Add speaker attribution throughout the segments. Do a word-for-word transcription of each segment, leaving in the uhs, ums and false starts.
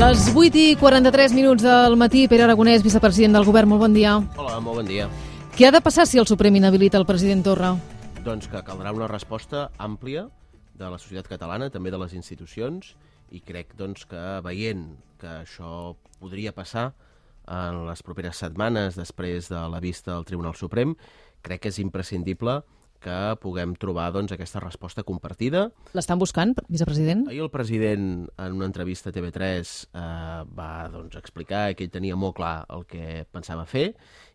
Speaker 1: Les vuit i quaranta-tres minuts del matí, Pere Aragonès, vicepresident del Govern, molt bon dia.
Speaker 2: Hola, molt bon dia.
Speaker 1: Què ha de passar si el Suprem inhabilita el president Torra?
Speaker 2: Doncs que caldrà una resposta àmplia de la societat catalana, també de les institucions, i crec doncs, que veient que això podria passar en les properes setmanes després de la vista del Tribunal Suprem, crec que és imprescindible que puguem trobar doncs, aquesta resposta compartida.
Speaker 1: L'estan buscant, vicepresident?
Speaker 2: Ahir el president, en una entrevista a T V tres, eh, va doncs, explicar que ell tenia molt clar el que pensava fer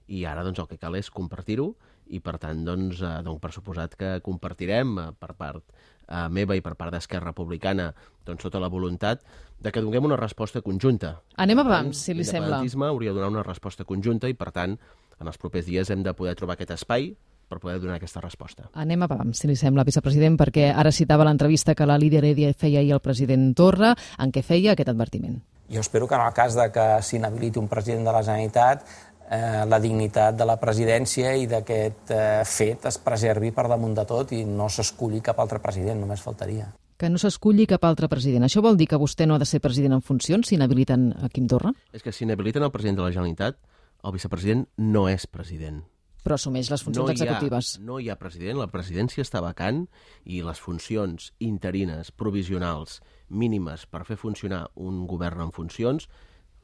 Speaker 2: i ara doncs, el que cal és compartir-ho i, per tant, doncs, eh, doncs, per suposat que compartirem eh, per part eh, meva i per part d'Esquerra Republicana doncs, tota la voluntat de que donem una resposta conjunta.
Speaker 1: Anem a pams, si li sembla.
Speaker 2: L'independentisme hauria de donar una resposta conjunta i, per tant, en els propers dies hem de poder trobar aquest espai per poder donar aquesta resposta.
Speaker 1: Anem a pam, si li sembla, vicepresident, perquè ara citava l'entrevista que la líder Heredia feia ahir al president Torra, en què feia aquest advertiment.
Speaker 3: Jo espero que en el cas de que s'inhabiliti un president de la Generalitat, eh, la dignitat de la presidència i d'aquest eh, fet es preservi per damunt de tot i no s'esculli cap altre president, només faltaria.
Speaker 1: Que no s'esculli cap altre president. Això vol dir que vostè no ha de ser president en funcions si inhabiliten a Quim Torra?
Speaker 2: És que si inhabiliten el president de la Generalitat, el vicepresident no és president.
Speaker 1: Però assumeix les funcions
Speaker 2: no
Speaker 1: executives.
Speaker 2: Ha, no hi ha president, la presidència està vacant i les funcions interines, provisionals, mínimes per fer funcionar un govern en funcions,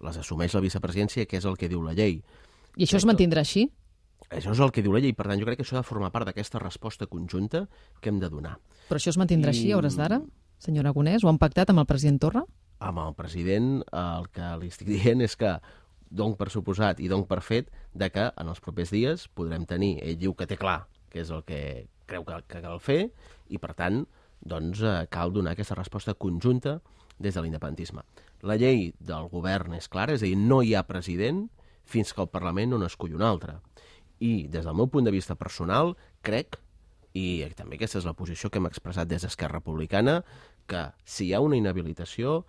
Speaker 2: les assumeix la vicepresidència, que és el que diu la llei.
Speaker 1: I això es mantindrà així?
Speaker 2: Això és el que diu la llei, per tant, jo crec que això ha de formar part d'aquesta resposta conjunta que hem de donar.
Speaker 1: Però això es mantindrà I... així a hores d'ara, senyor Aragonès? Ho han pactat amb el president Torra?
Speaker 2: Amb el president el que li estic dient és que dono per suposat i dono per fet de que en els propers dies podrem tenir, ell diu que té clar que és el que creu que, que cal fer i per tant doncs, cal donar aquesta resposta conjunta des de l'independentisme. La llei del govern és clara, és a dir, no hi ha president fins que el Parlament no n'escull un altre. I des del meu punt de vista personal crec, i també aquesta és la posició que hem expressat des d'Esquerra Republicana, que si hi ha una inhabilitació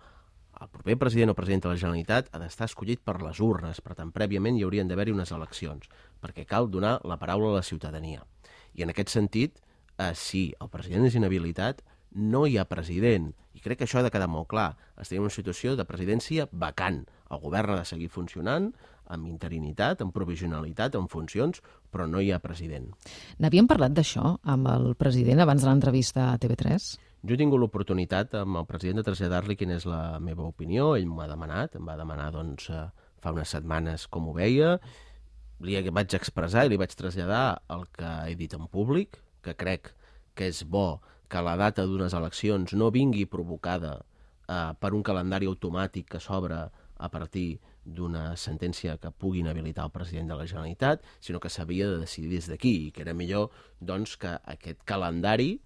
Speaker 2: el proper president o president de la Generalitat ha d'estar escollit per les urnes, per tant, prèviament hi haurien d'haver-hi unes eleccions, perquè cal donar la paraula a la ciutadania. I en aquest sentit, eh, si el president és inhabilitat, no hi ha president. I crec que això ha de quedar molt clar. Estem en una situació de presidència vacant. El govern ha de seguir funcionant amb interinitat, amb provisionalitat, amb funcions, però no hi ha president.
Speaker 1: N'havíem parlat d'això amb el president abans de l'entrevista a T V tres?
Speaker 2: Jo he tingut l'oportunitat amb el president de traslladar-li quina és la meva opinió. Ell m'ha demanat, em va demanar doncs, fa unes setmanes com ho veia. Li vaig expressar i li vaig traslladar el que he dit en públic, que crec que és bo que la data d'unes eleccions no vingui provocada eh, per un calendari automàtic que s'obre a partir d'una sentència que pugui inhabilitar el president de la Generalitat, sinó que s'havia de decidir des d'aquí i que era millor doncs, que aquest calendari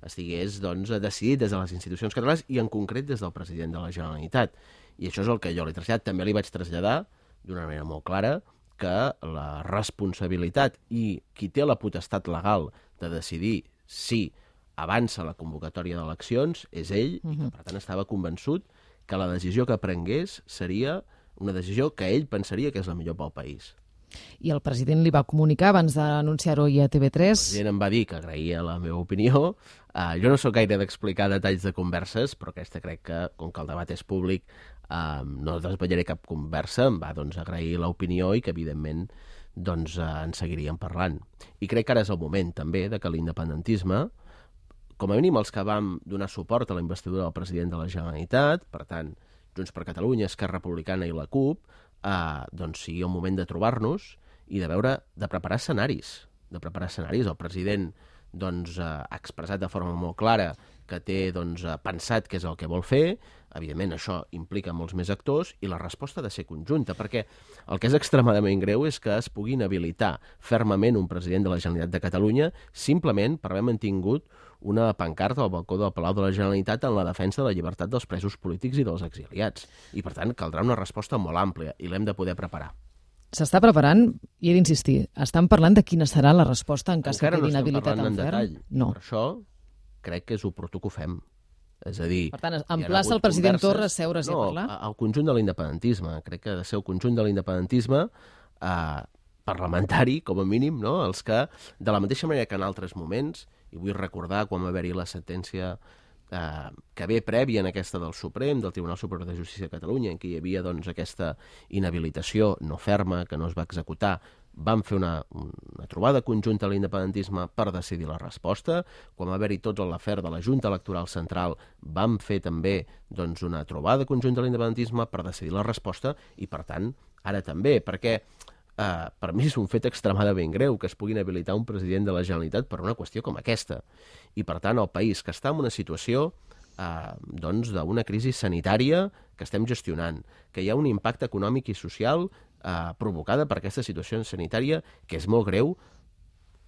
Speaker 2: estigués doncs, decidit des de les institucions catalanes i en concret des del president de la Generalitat. I això és el que jo li he traslladat. També li vaig traslladar d'una manera molt clara que la responsabilitat i qui té la potestat legal de decidir si avança la convocatòria d'eleccions és ell, uh-huh. i que per tant estava convençut que la decisió que prengués seria una decisió que ell pensaria que és la millor pel país.
Speaker 1: I el president li va comunicar abans d'anunciar-ho a T V tres?
Speaker 2: El president em va dir que agraïa la meva opinió. Uh, jo no sóc gaire d'explicar detalls de converses, però aquesta crec que, com que el debat és públic, uh, no desvetllaré cap conversa. Em va doncs, agrair l'opinió i que, evidentment, doncs, uh, en seguiríem parlant. I crec que ara és el moment, també, de que l'independentisme, com a mínim els que vam donar suport a la investidura del president de la Generalitat, per tant, Junts per Catalunya, Esquerra Republicana i la CUP, Uh, doncs sigui el moment de trobar-nos i de veure, de preparar escenaris. De preparar escenaris. El president doncs, uh, ha expressat de forma molt clara que té doncs, uh, pensat què és el que vol fer. Evidentment, això implica molts més actors i la resposta ha de ser conjunta, perquè el que és extremadament greu és que es pugui inhabilitar fermament un president de la Generalitat de Catalunya simplement per haver mantingut una pancarta al balcó del Palau de la Generalitat en la defensa de la llibertat dels presos polítics i dels exiliats. I, per tant, caldrà una resposta molt àmplia i l'hem de poder preparar.
Speaker 1: S'està preparant, i he d'insistir, estan parlant de quina serà la resposta en cas
Speaker 2: Encara
Speaker 1: que quedi
Speaker 2: no
Speaker 1: inhabilitat en,
Speaker 2: en
Speaker 1: ferm?
Speaker 2: detall.
Speaker 1: No.
Speaker 2: Per això crec que és oportú que ho fem. És a dir,
Speaker 1: per tant, emplaça el president Torra a seure's
Speaker 2: no,
Speaker 1: i a parlar?
Speaker 2: No, al conjunt de l'independentisme. Crec que ha de ser el conjunt de l'independentisme eh, parlamentari, com a mínim, no? Els que, de la mateixa manera que en altres moments, i vull recordar quan va haver-hi la sentència eh, que ve prèvia en aquesta del Suprem, del Tribunal Superior de Justícia de Catalunya, en què hi havia doncs, aquesta inhabilitació no ferma que no es va executar, vam fer una, una trobada conjunta a l'independentisme per decidir la resposta. Quan va haver-hi tot l'afer de la Junta Electoral Central, vam fer també doncs, una trobada conjunta a l'independentisme per decidir la resposta i, per tant, ara també, perquè eh, per mi és un fet extremadament greu que es pugui inhabilitar un president de la Generalitat per una qüestió com aquesta. I, per tant, el país, que està en una situació eh, doncs, d'una crisi sanitària que estem gestionant, que hi ha un impacte econòmic i social Eh, provocada per aquesta situació sanitària que és molt greu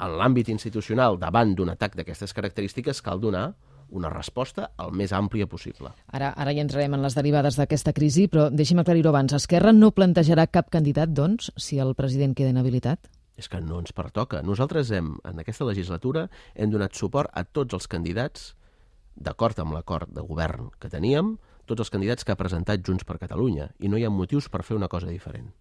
Speaker 2: en l'àmbit institucional. Davant d'un atac d'aquestes característiques cal donar una resposta el més àmplia possible.
Speaker 1: Ara, ara hi entrarem en les derivades d'aquesta crisi, però deixi'm aclarir-ho abans. Esquerra no plantejarà cap candidat, doncs, si el president queda inhabilitat?
Speaker 2: És que no ens pertoca. Nosaltres hem, en aquesta legislatura hem donat suport a tots els candidats, d'acord amb l'acord de govern que teníem, tots els candidats que ha presentat Junts per Catalunya, i no hi ha motius per fer una cosa diferent.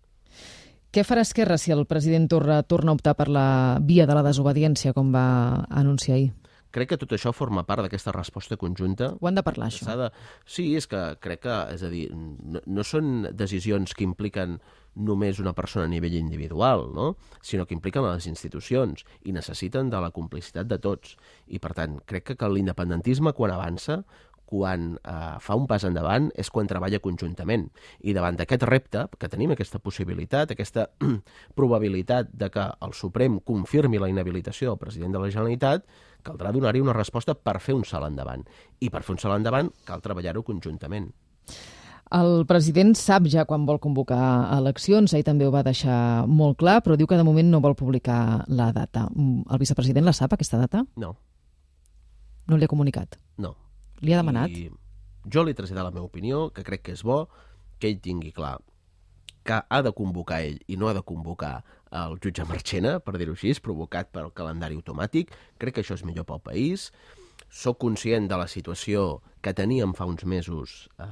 Speaker 1: Què farà Esquerra si el president Torra torna a optar per la via de la desobediència, com va anunciar ahir?
Speaker 2: Crec que tot això forma part d'aquesta resposta conjunta.
Speaker 1: Ho han de parlar, això?
Speaker 2: De... Sí, és que crec que, és a dir, no, no són decisions que impliquen només una persona a nivell individual, no? Sinó que impliquen les institucions i necessiten de la complicitat de tots. I, per tant, crec que, que l'independentisme, quan avança, quan eh, fa un pas endavant, és quan treballa conjuntament. I davant d'aquest repte, que tenim aquesta possibilitat, aquesta probabilitat de que el Suprem confirmi la inhabilitació del president de la Generalitat, caldrà donar-hi una resposta per fer un salt endavant. I per fer un salt endavant cal treballar-ho conjuntament.
Speaker 1: El president sap ja quan vol convocar eleccions, ell també ho va deixar molt clar, però diu que de moment no vol publicar la data. El vicepresident la sap, aquesta data?
Speaker 2: No.
Speaker 1: No li ha comunicat?
Speaker 2: No.
Speaker 1: Li ha demanat?
Speaker 2: I jo li he traslladat la meva opinió, que crec que és bo que ell tingui clar que ha de convocar ell i no ha de convocar el jutge Marchena, per dir-ho així, provocat pel calendari automàtic. Crec que això és millor pel país. Soc conscient de la situació que teníem fa uns mesos eh,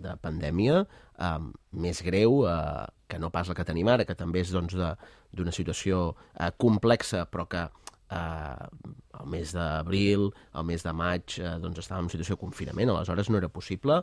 Speaker 2: de pandèmia, eh, més greu eh, que no pas la que tenim ara, que també és doncs, d'una situació eh, complexa, però que Uh, el mes d'abril, el mes de maig, uh, doncs estàvem en situació de confinament, aleshores no era possible,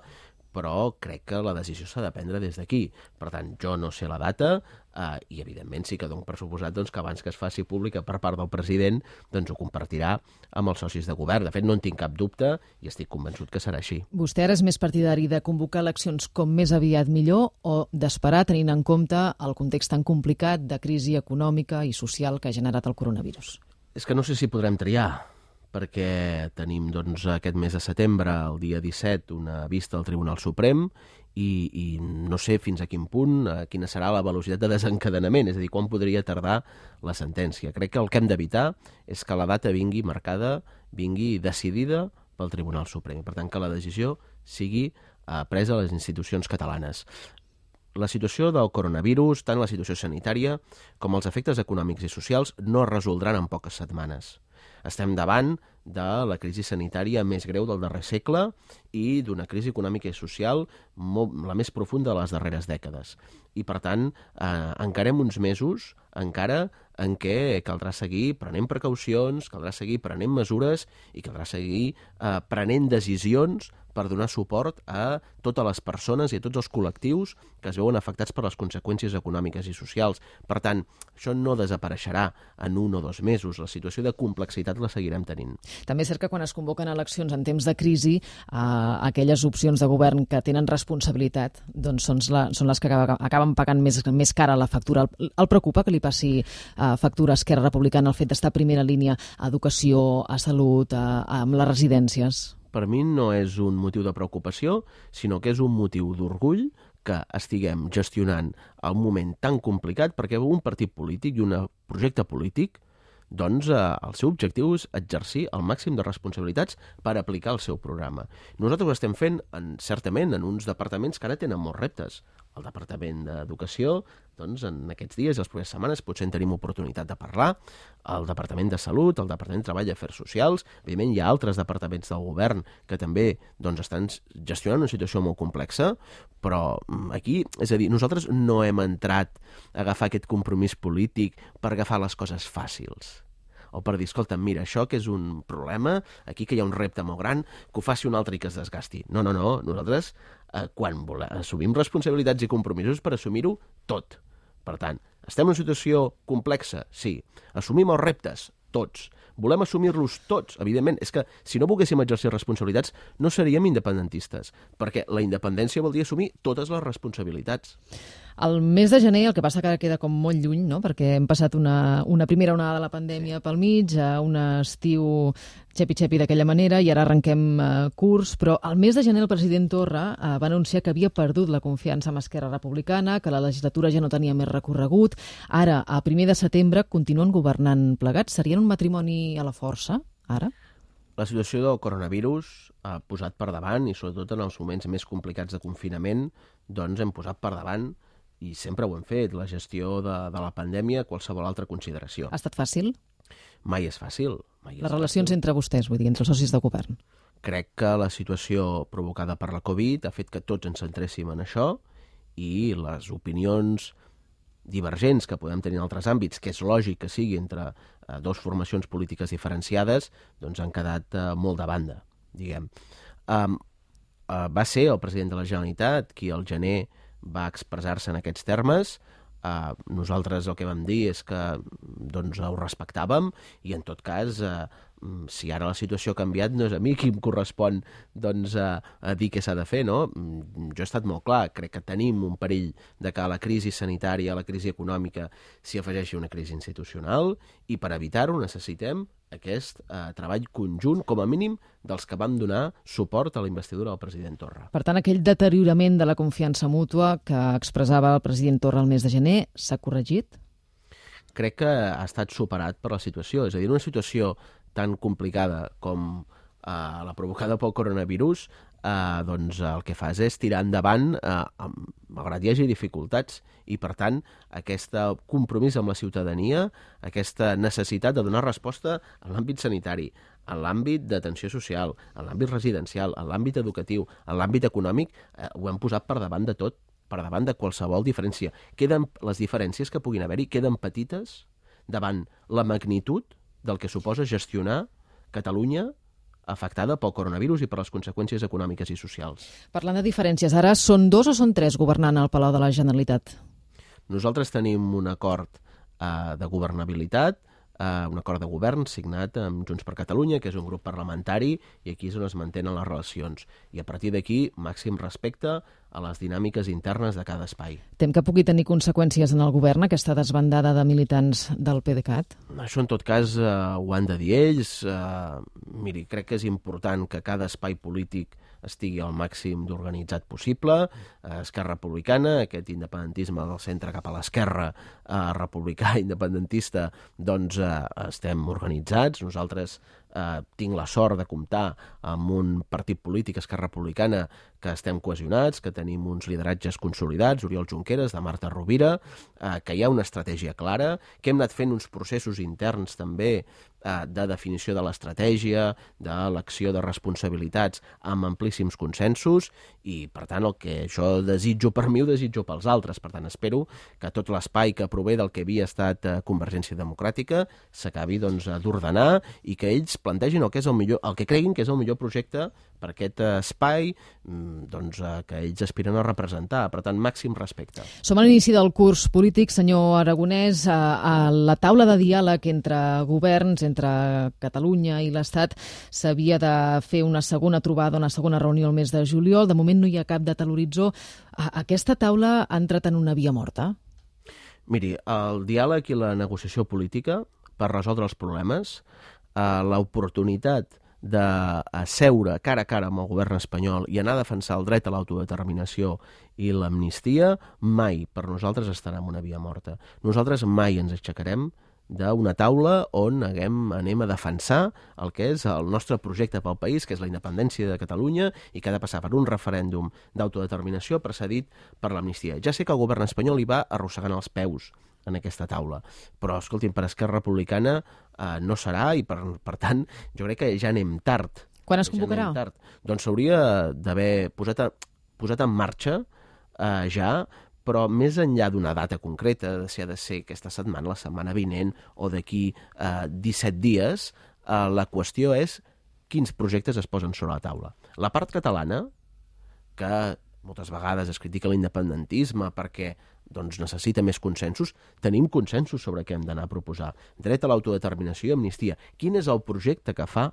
Speaker 2: però crec que la decisió s'ha de prendre des d'aquí. Per tant, jo no sé la data uh, i, evidentment, sí que dono per suposat doncs, que abans que es faci pública per part del president, doncs ho compartirà amb els socis de govern. De fet, no en tinc cap dubte i estic convençut que serà així.
Speaker 1: Vostè ara és més partidari de convocar eleccions com més aviat millor o d'esperar tenint en compte el context tan complicat de crisi econòmica i social que ha generat el coronavirus?
Speaker 2: És que no sé si podrem triar, perquè tenim doncs, aquest mes de setembre, el dia disset, una vista al Tribunal Suprem i, i no sé fins a quin punt, a quina serà la velocitat de desencadenament, és a dir, quan podria tardar la sentència. Crec que el que hem d'evitar és que la data vingui marcada, vingui decidida pel Tribunal Suprem. Per tant, que la decisió sigui eh, presa a les institucions catalanes. La situació del coronavirus, tant la situació sanitària com els efectes econòmics i socials, no es resoldran en poques setmanes. Estem davant de la crisi sanitària més greu del darrer segle i d'una crisi econòmica i social molt, la més profunda de les darreres dècades. I, per tant, eh, encarem uns mesos encara en què caldrà seguir prenent precaucions, caldrà seguir prenent mesures i caldrà seguir eh, prenent decisions per donar suport a totes les persones i a tots els col·lectius que es veuen afectats per les conseqüències econòmiques i socials. Per tant, això no desapareixerà en un o dos mesos. La situació de complexitat la seguirem tenint.
Speaker 1: També és cert que quan es convoquen eleccions en temps de crisi, eh, aquelles opcions de govern que tenen responsabilitat doncs són, la, són les que acaben pagant més, més cara la factura. El, el preocupa que li passi eh, factura a Esquerra Republicana el fet d'estar a primera línia a educació, a salut, a, a, amb les residències?
Speaker 2: Per mi no és un motiu de preocupació, sinó que és un motiu d'orgull que estiguem gestionant el moment tan complicat, perquè un partit polític i un projecte polític, doncs eh, el seu objectiu és exercir el màxim de responsabilitats per aplicar el seu programa. Nosaltres ho estem fent, en, certament, en uns departaments que ara tenen molts reptes. El Departament d'Educació, doncs, en aquests dies i les properes setmanes potser en tenim oportunitat de parlar, el Departament de Salut, el Departament de Treball i Afers Socials, evidentment hi ha altres departaments del govern que també doncs, estan gestionant una situació molt complexa, però aquí, és a dir, nosaltres no hem entrat a agafar aquest compromís polític per agafar les coses fàcils. o per dir, escolta, mira, això que és un problema, aquí que hi ha un repte molt gran, que ho faci un altre i que es desgasti. No, no, no, nosaltres eh, quan volem, assumim responsabilitats i compromisos per assumir-ho tot. Per tant, estem en una situació complexa? Sí. Assumim els reptes? Tots. Volem assumir-los tots, evidentment. És que si no volguéssim exercir responsabilitats no seríem independentistes, perquè la independència vol dir assumir totes les responsabilitats.
Speaker 1: El mes de gener, el que passa que ara queda com molt lluny, no? Perquè hem passat una, una primera onada de la pandèmia pel mig, a un estiu xepi-xepi d'aquella manera, i ara arrenquem eh, curs, però al mes de gener el president Torra eh, va anunciar que havia perdut la confiança amb Esquerra Republicana, que la legislatura ja no tenia més recorregut. Ara, a primer de setembre, continuen governant plegats. Serien un matrimoni a la força, ara?
Speaker 2: La situació del coronavirus ha posat per davant, i sobretot en els moments més complicats de confinament, doncs hem posat per davant, i sempre ho hem fet, la gestió de, de la pandèmia, qualsevol altra consideració.
Speaker 1: Ha estat fàcil?
Speaker 2: Mai és fàcil. Mai és
Speaker 1: Les relacions
Speaker 2: fàcil.
Speaker 1: entre vostès, vull dir, entre els socis de govern.
Speaker 2: Crec que la situació provocada per la Covid ha fet que tots ens centréssim en això, i les opinions divergents que podem tenir en altres àmbits, que és lògic que sigui entre eh, dues formacions polítiques diferenciades, doncs han quedat eh, molt de banda, diguem. Um, uh, va ser el president de la Generalitat qui al gener va expressar-se en aquests termes. Uh, nosaltres el que vam dir és que doncs, ho respectàvem, i en tot cas, uh, si ara la situació ha canviat, no és a mi qui em correspon doncs, a, a dir què s'ha de fer, no? Jo he estat molt clar, crec que tenim un perill de que a la crisi sanitària, a la crisi econòmica, s'hi afegeixi una crisi institucional, i per evitar-ho necessitem aquest eh, treball conjunt, com a mínim, dels que vam donar suport a la investidura del president Torra.
Speaker 1: Per tant, aquell deteriorament de la confiança mútua que expressava el president Torra el mes de gener s'ha corregit?
Speaker 2: Crec que ha estat superat per la situació. És a dir, una situació tan complicada com eh, la provocada pel coronavirus, eh, doncs el que fas és tirar endavant, eh, malgrat hi hagi dificultats, i per tant aquest compromís amb la ciutadania, aquesta necessitat de donar resposta en l'àmbit sanitari, en l'àmbit d'atenció social, en l'àmbit residencial, en l'àmbit educatiu, en l'àmbit econòmic, eh, ho hem posat per davant de tot, per davant de qualsevol diferència. Queden, les diferències que puguin haver-hi queden petites davant la magnitud del que suposa gestionar Catalunya afectada pel coronavirus i per les conseqüències econòmiques i socials.
Speaker 1: Parlant de diferències, ara són dos o són tres governant al Palau de la Generalitat?
Speaker 2: Nosaltres tenim un acord eh, de governabilitat, eh, un acord de govern signat amb Junts per Catalunya, que és un grup parlamentari, i aquí és on es mantenen les relacions. I a partir d'aquí, màxim respecte a les dinàmiques internes de cada espai.
Speaker 1: Tem que pugui tenir conseqüències en el govern aquesta desbandada de militants del PDeCAT?
Speaker 2: Això, en tot cas, eh, ho han de dir ells. Eh, miri, crec que és important que cada espai polític estigui al màxim d'organitzat possible. Eh, Esquerra Republicana, aquest independentisme del centre cap a l'esquerra eh, republicà independentista, doncs eh, estem organitzats. Nosaltres eh, tinc la sort de comptar amb un partit polític, Esquerra Republicana, que estem cohesionats, que tenim uns lideratges consolidats, Oriol Junqueras, de Marta Rovira, eh, que hi ha una estratègia clara, que hem anat fent uns processos interns també eh, de definició de l'estratègia, d'elecció de responsabilitats amb amplíssims consensos, i per tant el que jo desitjo per mi ho desitjo pels altres. Per tant, espero que tot l'espai que prové del que havia estat eh, Convergència Democràtica s'acabi doncs, d'ordenar, i que ells plantegin el que és el millor, el que creguin que és el millor projecte per aquest espai doncs, que ells aspiren a representar. Per tant, màxim respecte.
Speaker 1: Som a l'inici del curs polític, senyor Aragonès. A la taula de diàleg entre governs, entre Catalunya i l'Estat, s'havia de fer una segona trobada, una segona reunió el mes de juliol. De moment no hi ha cap data a l'horitzó. Aquesta taula ha entrat en una via morta?
Speaker 2: Miri, el diàleg i la negociació política per resoldre els problemes, l'oportunitat de seure cara a cara amb el govern espanyol i anar a defensar el dret a l'autodeterminació i l'amnistia, mai per nosaltres estarà en una via morta. Nosaltres mai ens aixecarem d'una taula on haguem, anem a defensar el que és el nostre projecte pel país, que és la independència de Catalunya, i que ha de passar per un referèndum d'autodeterminació precedit per l'amnistia. Ja sé que el govern espanyol hi va arrossegant els peus en aquesta taula, però, escolti'm, per Esquerra Republicana eh, no serà, i per, per tant, jo crec que ja anem tard.
Speaker 1: Quan es convocarà?
Speaker 2: Ja tard. Doncs s'hauria d'haver posat, a, posat en marxa eh, ja però més enllà d'una data concreta, si ha de ser aquesta setmana, la setmana vinent o d'aquí eh, disset dies, eh, la qüestió és quins projectes es posen sobre la taula. La part catalana, que moltes vegades es critica l'independentisme perquè doncs, necessita més consensos, tenim consensos sobre què hem d'anar a proposar. Dret a l'autodeterminació i amnistia. Quin és el projecte que fa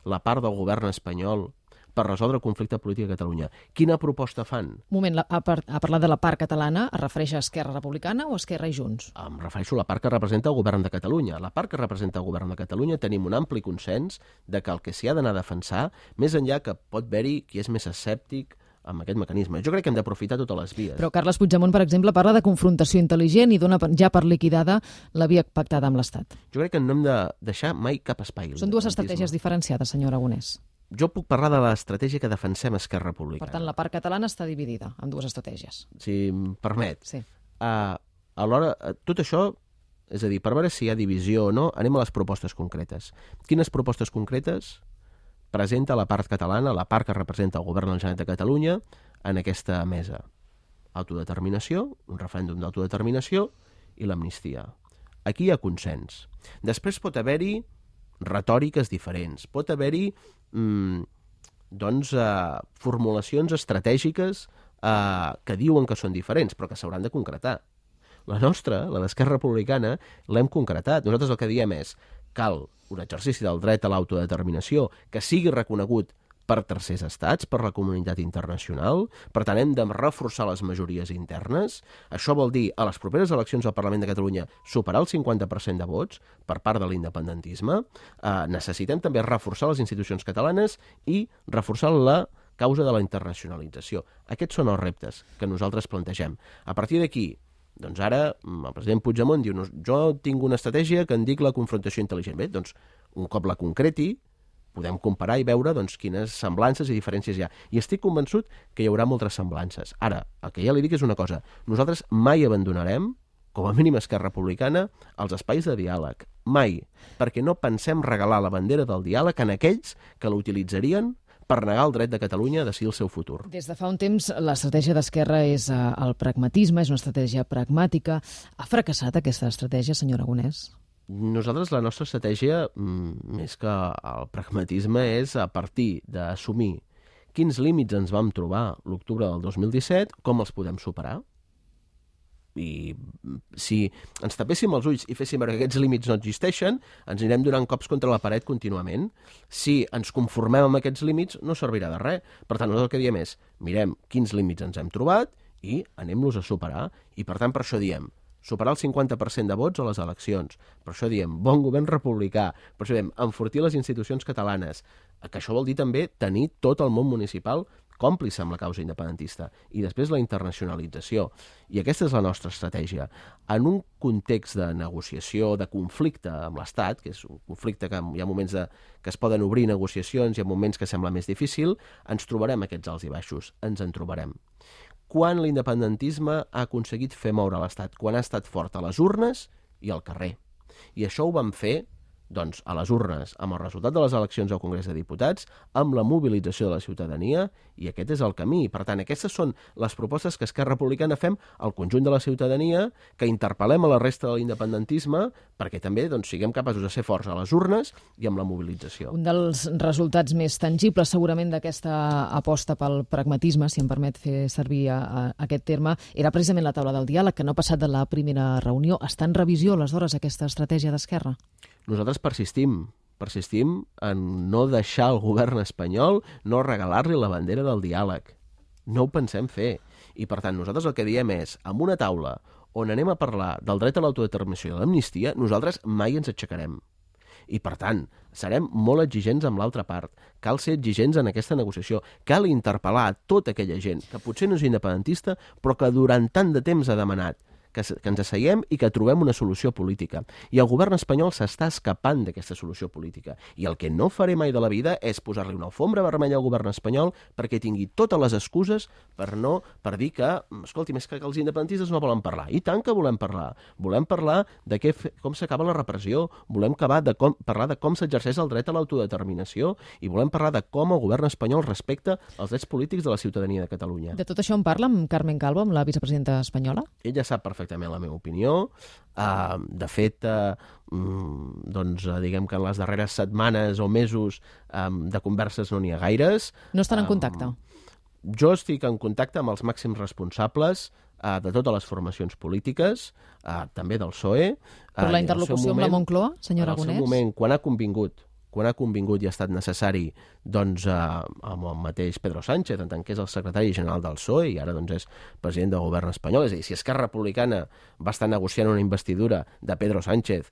Speaker 2: la part del govern espanyol per resoldre el conflicte polític a Catalunya? Quina proposta fan?
Speaker 1: Un moment, la, ha, ha parlat de la part catalana, es refereix a Esquerra Republicana o Esquerra i Junts?
Speaker 2: Em refereixo a la part que representa el govern de Catalunya. La part que representa el govern de Catalunya tenim un ampli consens de que el que s'hi ha d'anar a defensar, més enllà que pot haver-hi qui és més escèptic amb aquest mecanisme. Jo crec que hem d'aprofitar totes les vies.
Speaker 1: Però Carles Puigdemont, per exemple, parla de confrontació intel·ligent i dona ja per liquidada la via pactada amb l'Estat.
Speaker 2: Jo crec que no hem de deixar mai cap espai.
Speaker 1: Són dues estratègies diferenciades, senyor Aragonès.
Speaker 2: Jo puc parlar de l'estratègia que defensem Esquerra Republicana.
Speaker 1: Per tant, la part catalana està dividida en dues estratègies.
Speaker 2: Si em permet.
Speaker 1: Sí.
Speaker 2: Uh, alhora, tot això, és a dir, per veure si hi ha divisió o no, anem a les propostes concretes. Quines propostes concretes presenta la part catalana, la part que representa el govern de la Generalitat de Catalunya, en aquesta mesa? Autodeterminació, un referèndum d'autodeterminació i l'amnistia. Aquí hi ha consens. Després pot haver-hi retòriques diferents, pot haver-hi mm, doncs, eh, formulacions estratègiques eh, que diuen que són diferents, però que s'hauran de concretar. La nostra, la d'Esquerra Republicana, l'hem concretat. Nosaltres el que diem és cal un exercici del dret a l'autodeterminació que sigui reconegut per tercers estats, per la comunitat internacional. Per tant, hem de reforçar les majories internes. Això vol dir, a les properes eleccions al Parlament de Catalunya, superar el cinquanta per cent de vots per part de l'independentisme. Eh, necessitem també reforçar les institucions catalanes i reforçar la causa de la internacionalització. Aquests són els reptes que nosaltres plantegem. A partir d'aquí, doncs ara el president Puigdemont diu jo tinc una estratègia que en dic la confrontació intel·ligent. Bé, doncs un cop la concreti, podem comparar i veure doncs, quines semblances i diferències hi ha. I estic convençut que hi haurà moltes semblances. Ara, el que ja li dic és una cosa. Nosaltres mai abandonarem, com a mínim Esquerra Republicana, els espais de diàleg. Mai. Perquè no pensem regalar la bandera del diàleg en aquells que l'utilitzarien per negar el dret de Catalunya a decidir el seu futur.
Speaker 1: Des de fa un temps, l'estratègia d'Esquerra és el pragmatisme, és una estratègia pragmàtica. Ha fracassat aquesta estratègia, senyor Aragonès?
Speaker 2: Nosaltres, la nostra estratègia, més que el pragmatisme, és a partir d'assumir quins límits ens vam trobar l'octubre del dos mil disset, com els podem superar. I si ens tapéssim els ulls i féssim veure que aquests límits no existeixen, ens anirem donant cops contra la paret contínuament. Si ens conformem amb aquests límits, no servirà de res. Per tant, nosaltres el que diem és, mirem quins límits ens hem trobat i anem-los a superar. I per tant, per això diem, superar el cinquanta per cent de vots a les eleccions. Per això diem, bon govern republicà. Per això diem, enfortir les institucions catalanes. Que això vol dir també tenir tot el món municipal còmplice amb la causa independentista. I després la internacionalització. I aquesta és la nostra estratègia. En un context de negociació, de conflicte amb l'Estat, que és un conflicte que hi ha moments de, que es poden obrir negociacions, hi ha moments que sembla més difícil, ens trobarem aquests alts i baixos. Ens en trobarem. Quan l'independentisme ha aconseguit fer moure l'Estat? Quan ha estat fort a les urnes i al carrer. I això ho vam fer doncs, a les urnes, amb el resultat de les eleccions al Congrés de Diputats, amb la mobilització de la ciutadania, i aquest és el camí. Per tant, aquestes són les propostes que Esquerra Republicana fem al conjunt de la ciutadania, que interpel·lem a la resta de l'independentisme, perquè també doncs, siguem capaços de ser forts a les urnes i amb la mobilització.
Speaker 1: Un dels resultats més tangibles, segurament, d'aquesta aposta pel pragmatisme, si em permet fer servir a, a, aquest terme, era precisament la taula del diàleg, que no ha passat de la primera reunió. Està en revisió, aleshores, aquesta estratègia d'Esquerra?
Speaker 2: Nosaltres persistim, persistim en no deixar el govern espanyol, no regalar-li la bandera del diàleg. No ho pensem fer. I, per tant, nosaltres el que diem és, amb una taula on anem a parlar del dret a l'autodeterminació i l'amnistia, nosaltres mai ens aixecarem. I, per tant, serem molt exigents amb l'altra part. Cal ser exigents en aquesta negociació. Cal interpel·lar a tota aquella gent que potser no és independentista, però que durant tant de temps ha demanat que, que ens asseiem i que trobem una solució política. I el govern espanyol s'està escapant d'aquesta solució política. I el que no faré mai de la vida és posar-li una alfombra vermella al govern espanyol perquè tingui totes les excuses per no per dir que, escolti, més que els independentistes no volen parlar. I tant que volem parlar. Volem parlar de què, com s'acaba la repressió, volem acabar de com, parlar de com s'exerceix el dret a l'autodeterminació i volem parlar de com el govern espanyol respecta els drets polítics de la ciutadania de Catalunya.
Speaker 1: De tot això en parla amb Carmen Calvo, amb la vicepresidenta espanyola?
Speaker 2: Ella sap perfectament la meva opinió. Uh, de fet, uh, mm, doncs, uh, diguem que en les darreres setmanes o mesos um, de converses no n'hi ha gaires.
Speaker 1: No estan en
Speaker 2: um,
Speaker 1: contacte?
Speaker 2: Jo estic en contacte amb els màxims responsables uh, de totes les formacions polítiques, uh, també del P S O E.
Speaker 1: Per la interlocució amb la Moncloa, senyor Aragonès?
Speaker 2: En el seu moment, quan ha convingut quan ha convingut i ha estat necessari doncs, eh, amb el mateix Pedro Sánchez, en tant que és el secretari general del P S O E i ara doncs, és president del govern espanyol. És a dir, si Esquerra Republicana va estar negociant una investidura de Pedro Sánchez,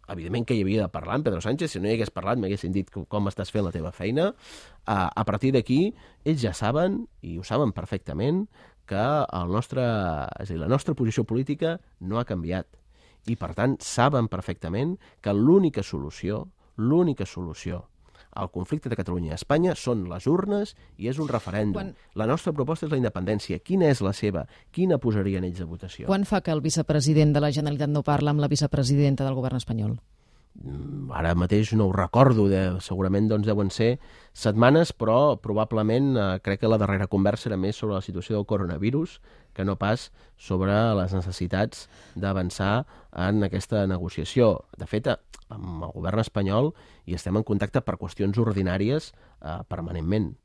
Speaker 2: evidentment que hi havia de parlar amb Pedro Sánchez, si no hi hagués parlat m'haguessin dit com estàs fent la teva feina. Eh, a partir d'aquí, ells ja saben, i ho saben perfectament, que el nostre, és a dir, la nostra posició política no ha canviat. I, per tant, saben perfectament que l'única solució l'única solució al conflicte de Catalunya i Espanya són les urnes i és un referèndum. Quan... La nostra proposta és la independència. Quina és la seva? Quina posarien ells a votació?
Speaker 1: Quan fa que el vicepresident de la Generalitat no parla amb la vicepresidenta del govern espanyol?
Speaker 2: Ara mateix no ho recordo, de, segurament doncs, deuen ser setmanes, però probablement eh, crec que la darrera conversa era més sobre la situació del coronavirus que no pas sobre les necessitats d'avançar en aquesta negociació. De fet, amb el govern espanyol hi estem en contacte per qüestions ordinàries eh, permanentment.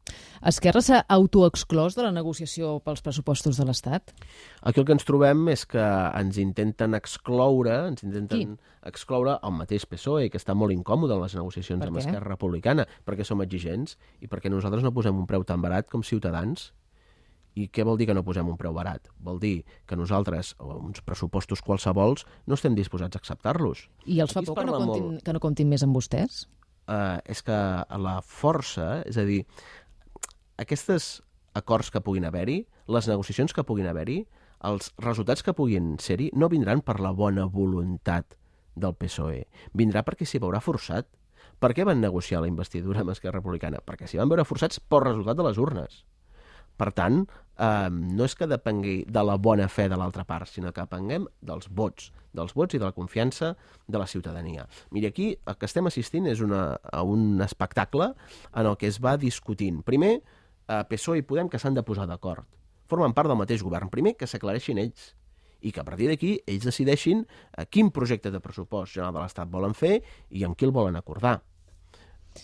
Speaker 1: Esquerra s'ha autoexclòs de la negociació pels pressupostos de l'Estat?
Speaker 2: Aquí el que ens trobem és que ens intenten excloure, ens intenten
Speaker 1: Qui?
Speaker 2: excloure el mateix P S O E, que està molt incòmode en les negociacions amb Esquerra Republicana, perquè som exigents i perquè nosaltres no posem un preu tan barat com Ciutadans. I què vol dir que no posem un preu barat? Vol dir que nosaltres, o uns pressupostos qualsevols, no estem disposats a acceptar-los.
Speaker 1: I els fa por que no, comptin, molt... que no comptin més amb vostès?
Speaker 2: Uh, és que la força, és a dir, aquests acords que puguin haver-hi, les negociacions que puguin haver-hi, els resultats que puguin ser-hi, no vindran per la bona voluntat del P S O E. Vindrà perquè s'hi veurà forçat. Per què van negociar la investidura amb Esquerra Republicana? Perquè s'hi van veure forçats pel resultat de les urnes. Per tant, eh, no és que depengui de la bona fe de l'altra part, sinó que depenguem dels vots, dels vots i de la confiança de la ciutadania. Miri, aquí el que estem assistint és una, a un espectacle en el que es va discutint. Primer, eh, P S O E i Podem que s'han de posar d'acord. Formen part del mateix govern. Primer, que s'aclareixin ells i que a partir d'aquí ells decideixin eh, quin projecte de pressupost general de l'Estat volen fer i amb qui el volen acordar.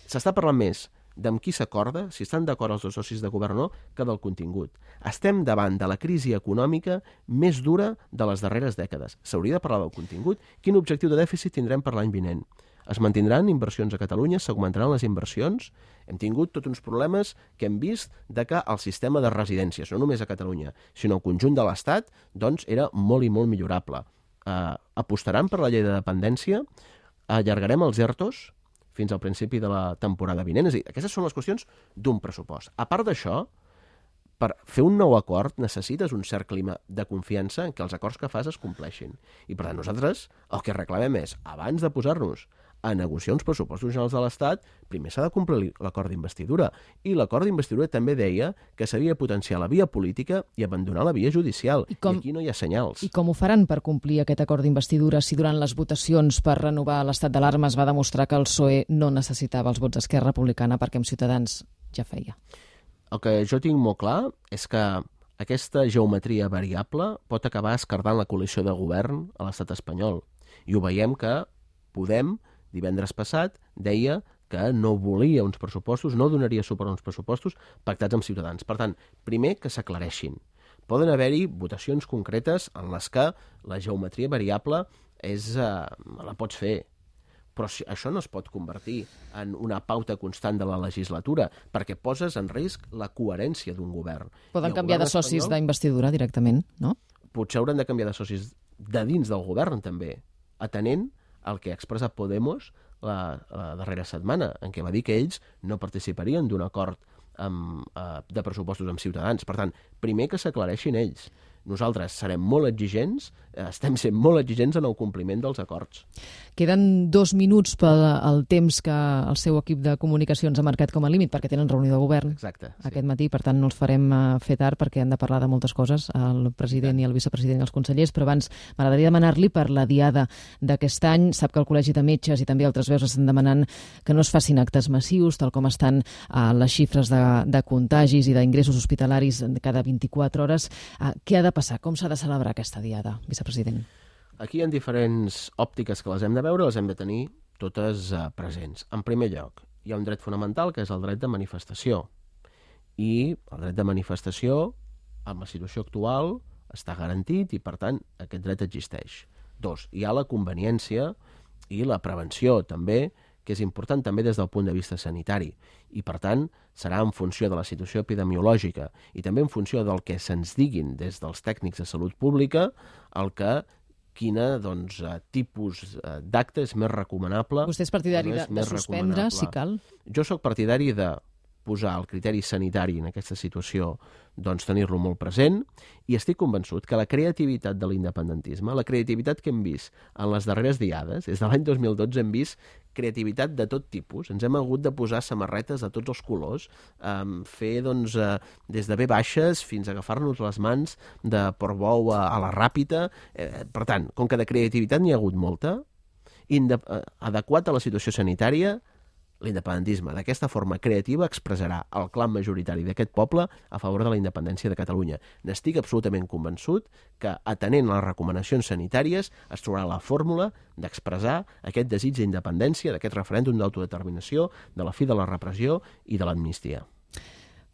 Speaker 2: S'està parlant més d'amb qui s'acorda, si estan d'acord els dos socis de govern o no, que del contingut. Estem davant de la crisi econòmica més dura de les darreres dècades. S'hauria de parlar del contingut. Quin objectiu de dèficit tindrem per l'any vinent? Es mantindran inversions a Catalunya? S'augmentaran les inversions? Hem tingut tots uns problemes que hem vist de que el sistema de residències, no només a Catalunya, sinó al conjunt de l'Estat, doncs era molt i molt millorable. Uh, apostaran per la llei de dependència? Allargarem els ERTOs fins al principi de la temporada vinent? És a dir, aquestes són les qüestions d'un pressupost. A part d'això, per fer un nou acord necessites un cert clima de confiança en què els acords que fas es compleixin. I per tant, nosaltres el que reclamem és, abans de posar-nos a negociar uns pressupostos generals de l'Estat, primer s'ha de complir l'acord d'investidura. I l'acord d'investidura també deia que s'havia de potenciar la via política i abandonar la via judicial. I, com... I aquí no hi ha senyals.
Speaker 1: I com ho faran per complir aquest acord d'investidura si durant les votacions per renovar l'estat d'alarma es va demostrar que el P S O E no necessitava els vots d'Esquerra Republicana perquè amb Ciutadans ja feia?
Speaker 2: El que jo tinc molt clar és que aquesta geometria variable pot acabar esquerdant la coalició de govern a l'estat espanyol. I ho veiem que Podem, divendres passat, deia que no volia uns pressupostos, no donaria suport a uns pressupostos pactats amb Ciutadans. Per tant, primer que s'aclareixin. Poden haver-hi votacions concretes en les que la geometria variable és, eh, la pots fer, però si, això no es pot convertir en una pauta constant de la legislatura, perquè poses en risc la coherència d'un govern.
Speaker 1: Poden canviar de socis espanyol, d'investidura directament, no?
Speaker 2: Potser hauran de canviar de socis de dins del govern, també, atenent el que ha expressat Podemos la, la darrera setmana, en què va dir que ells no participarien d'un acord amb, eh, de pressupostos amb Ciutadans. Per tant, primer que s'aclareixin ells. nosaltres serem molt exigents, estem sent molt exigents en el compliment dels acords.
Speaker 1: Queden dos minuts pel el temps que el seu equip de comunicacions ha marcat com a límit, perquè tenen reunió de govern
Speaker 2: Exacte, sí.
Speaker 1: aquest matí, per tant no els farem fer tard perquè han de parlar de moltes coses, el president i el vicepresident i els consellers, però abans m'agradaria demanar-li per la diada d'aquest any. Sap que el Col·legi de Metges i també altres veus estan demanant que no es facin actes massius, tal com estan uh, les xifres de, de contagis i d'ingressos hospitalaris cada vint-i-quatre hores. Uh, què ha de passar? Com s'ha de celebrar aquesta diada, vicepresident?
Speaker 2: Aquí hi ha diferents òptiques que les hem de veure, les hem de tenir totes uh, presents. En primer lloc, hi ha un dret fonamental que és el dret de manifestació. I el dret de manifestació, amb la situació actual, està garantit i, per tant, aquest dret existeix. Dos, hi ha la conveniència i la prevenció, també, que és important també des del punt de vista sanitari. I, per tant, serà en funció de la situació epidemiològica i també en funció del que se'ns diguin des dels tècnics de salut pública el que quina doncs, tipus d'acte és més recomanable.
Speaker 1: Vostè és partidari de, de suspendre, si cal?
Speaker 2: Jo sóc partidari de posar el criteri sanitari en aquesta situació, doncs tenir-lo molt present, i estic convençut que la creativitat de l'independentisme, la creativitat que hem vist en les darreres diades, des de l'any dos mil dotze hem vist creativitat de tot tipus, ens hem hagut de posar samarretes de tots els colors, eh, fer doncs, eh, des de ve baixes fins a agafar-nos les mans de Portbou a, a la Ràpita. Eh, per tant, com que de creativitat n'hi ha hagut molta, inde- eh, adequat a la situació sanitària, l'independentisme d'aquesta forma creativa expressarà el clam majoritari d'aquest poble a favor de la independència de Catalunya. N'estic absolutament convençut que, atenent les recomanacions sanitàries, es trobarà la fórmula d'expressar aquest desig d'independència, d'aquest referèndum d'autodeterminació, de la fi de la repressió i de l'amnistia.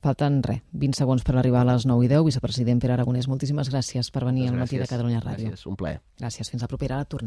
Speaker 1: Falten, res, vint segons per arribar a les nou i deu. Vicepresident Pere Aragonès, moltíssimes gràcies per venir al Matí de Catalunya Ràdio.
Speaker 2: Gràcies, un plaer.
Speaker 1: Gràcies, fins la propera. Ara tornem.